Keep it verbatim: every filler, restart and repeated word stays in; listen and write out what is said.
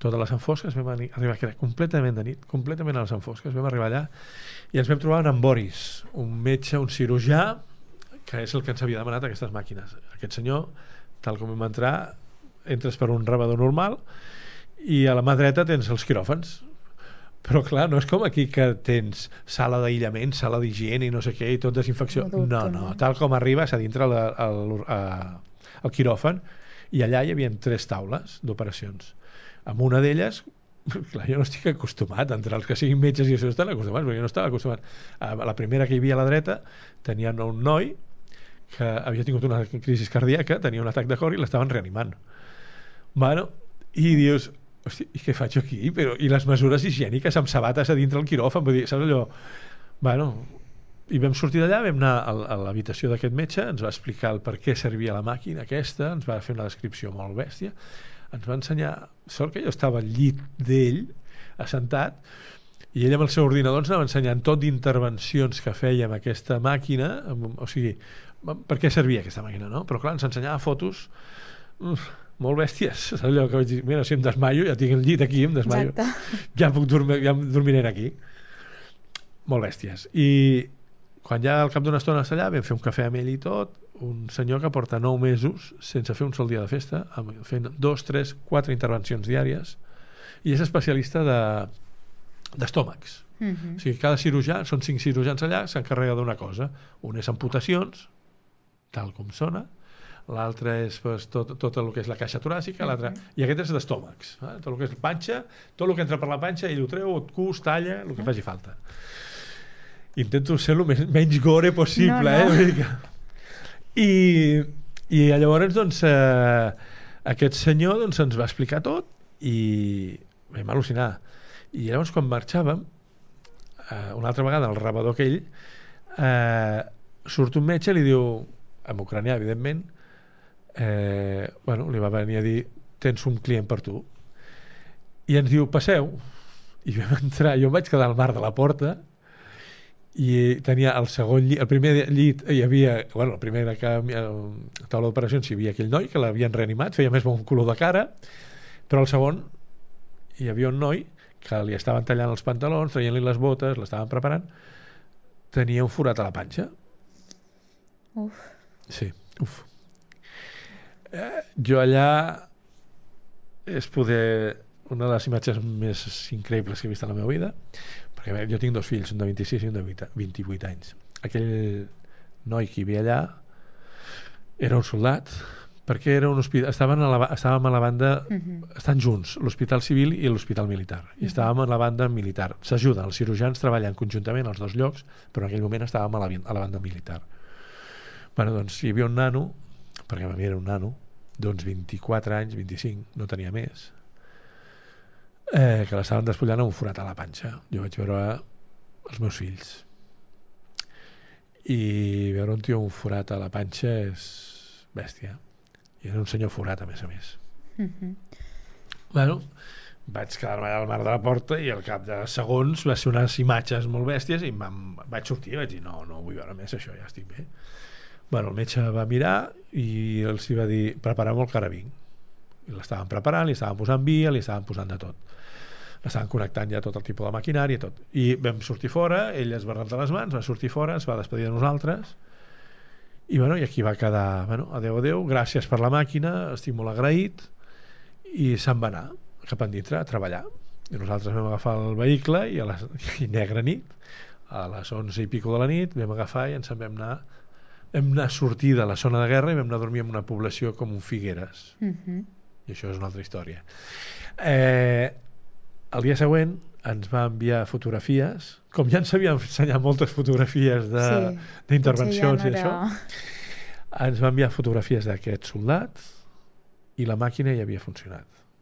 totes les enfosques, vam arribar, que era completament de nit, completament a les enfosques, vam arribar allà i ens vam trobar en Boris, un metge, un cirurgià, que és el que ens havia demanat aquestes màquines. Aquest senyor, tal com vam entrar, entres per un rebedor normal i a la mà dreta tens els quiròfans. Però clar, no és com aquí que tens sala d'aïllament, sala d'higiene i no sé què, i tot desinfecció. No, no, no. Tal com arribes a dintre el, el, el, el quiròfan, i allà hi havia tres taules d'operacions. Amb una d'elles, clar, jo no estic acostumat, entre els que siguin metges i això estan acostumats, però jo no estava acostumat. A la primera que hi havia a la dreta tenien un noi que havia tingut una crisi cardíaca, tenia un atac de cor i l'estaven reanimant. Bueno, i dius, hosti, i què faig aquí? Però, i les mesures higièniques amb sabates a dintre el quiròfan, vull dir, saps allò? Bueno, i vam sortir d'allà, vam anar a l'habitació d'aquest metge, ens va explicar el per què servia la màquina aquesta, ens va fer una descripció molt bèstia, ens va ensenyar, sort que jo estava al llit d'ell, assentat, i ell amb el seu ordinador ens anava ensenyant tot d'intervencions que feia amb aquesta màquina, o sigui, per què servia aquesta màquina, no? Però clar, ens ensenyava fotos uf, molt bèsties, saps allò que vaig dir, mira, si em desmaio, ja tinc el llit aquí, em desmaio. Exacte. Ja puc dormir, ja dormiré aquí. Molt bèsties. I quan ja al cap d'una estona allà vam fer un cafè amb ell i tot, un senyor que porta nou mesos sense fer un sol dia de festa, fent dos, tres, quatre intervencions diàries, i és especialista de d'estómacs. Uh-huh. O sigui, cada cirurgià, són cinc cirurgians allà, s'encarrega d'una cosa. Un és amputacions, tal com sona, l'altre és pues, tot, tot el que és la caixa toràcica, l'altre, i aquest és d'estómacs, eh? Tot el que és panxa, tot el que entra per la panxa, ell ho treu, et cus, talla, el que uh-huh. faci falta. Intento ser el menys gore possible, no, no. eh? I, i llavors, doncs, eh, aquest senyor doncs, ens va explicar tot i vam al·lucinar. I llavors, quan marxàvem, eh, una altra vegada, el rebedor aquell, eh, surt un metge i li diu, en ucranià, evidentment, eh, bueno, li va venir a dir, tens un client per tu. I ens diu, passeu. I vam entrar, jo em vaig quedar al mar de la porta, i tenia el segon llit, el primer llit hi havia, bueno, el primer que a taula d'operacions hi havia aquell noi que l'havien reanimat, feia més bon color de cara, però el segon hi havia un noi que li estaven tallant els pantalons, traient-li les botes, l'estaven preparant, tenia un forat a la panxa. Uf. Sí, uf. Eh, jo allà és poder una de les imatges més increïbles que he vist en la meva vida, perquè jo tinc dos fills, un de vint-i-sis i un de vint-i-vuit anys. Aquell noi que hi havia allà era un soldat, perquè era un hospital, estaven a la, estàvem a la banda, uh-huh. estan junts, l'hospital civil i l'hospital militar, i uh-huh. estàvem a la banda militar. S'ajuden, els cirurgians treballen conjuntament als dos llocs, però en aquell moment estàvem a la, a la banda militar. Bueno, doncs hi havia un nano, perquè a mi era un nano, d'uns vint-i-quatre anys, vint-i-cinc, no tenia més, eh, que l'estaven despullant amb un forat a la panxa. Jo vaig veure els meus fills. I veure un tio amb un forat a la panxa és bèstia. I era un senyor forat, a més a més. Uh-huh. Bueno, vaig quedar-me al mar de la porta i al cap de segons va ser unes imatges molt bèsties i vaig sortir i vaig dir, no, no vull veure més això, ja estic bé. Bueno, el metge va mirar i els va dir, prepareu el carabín. I l'estaven preparant, li estaven posant via, li estaven posant de tot. L'estaven connectant ja tot el tipus de maquinari i tot. I vam sortir fora, ell es va rentar les mans, va sortir fora, es va despedir de nosaltres, i, bueno, i aquí va quedar, bueno, adeu, adeu, gràcies per la màquina, estic molt agraït, i se'n va anar cap endintre a treballar. I nosaltres vam agafar el vehicle i a la i negra nit, a les onze i pico de la nit, vam agafar i ens en vam anar vam anar a sortir de la zona de guerra i vam anar a dormir en una població com un Figueres. Uh-huh. I això és una altra història. Eh, el dia següent ens va enviar fotografies, com ja ens havia ensenyat moltes fotografies d'intervencions sí, ja no era... i això, ens va enviar fotografies d'aquest soldat i la màquina ja havia funcionat.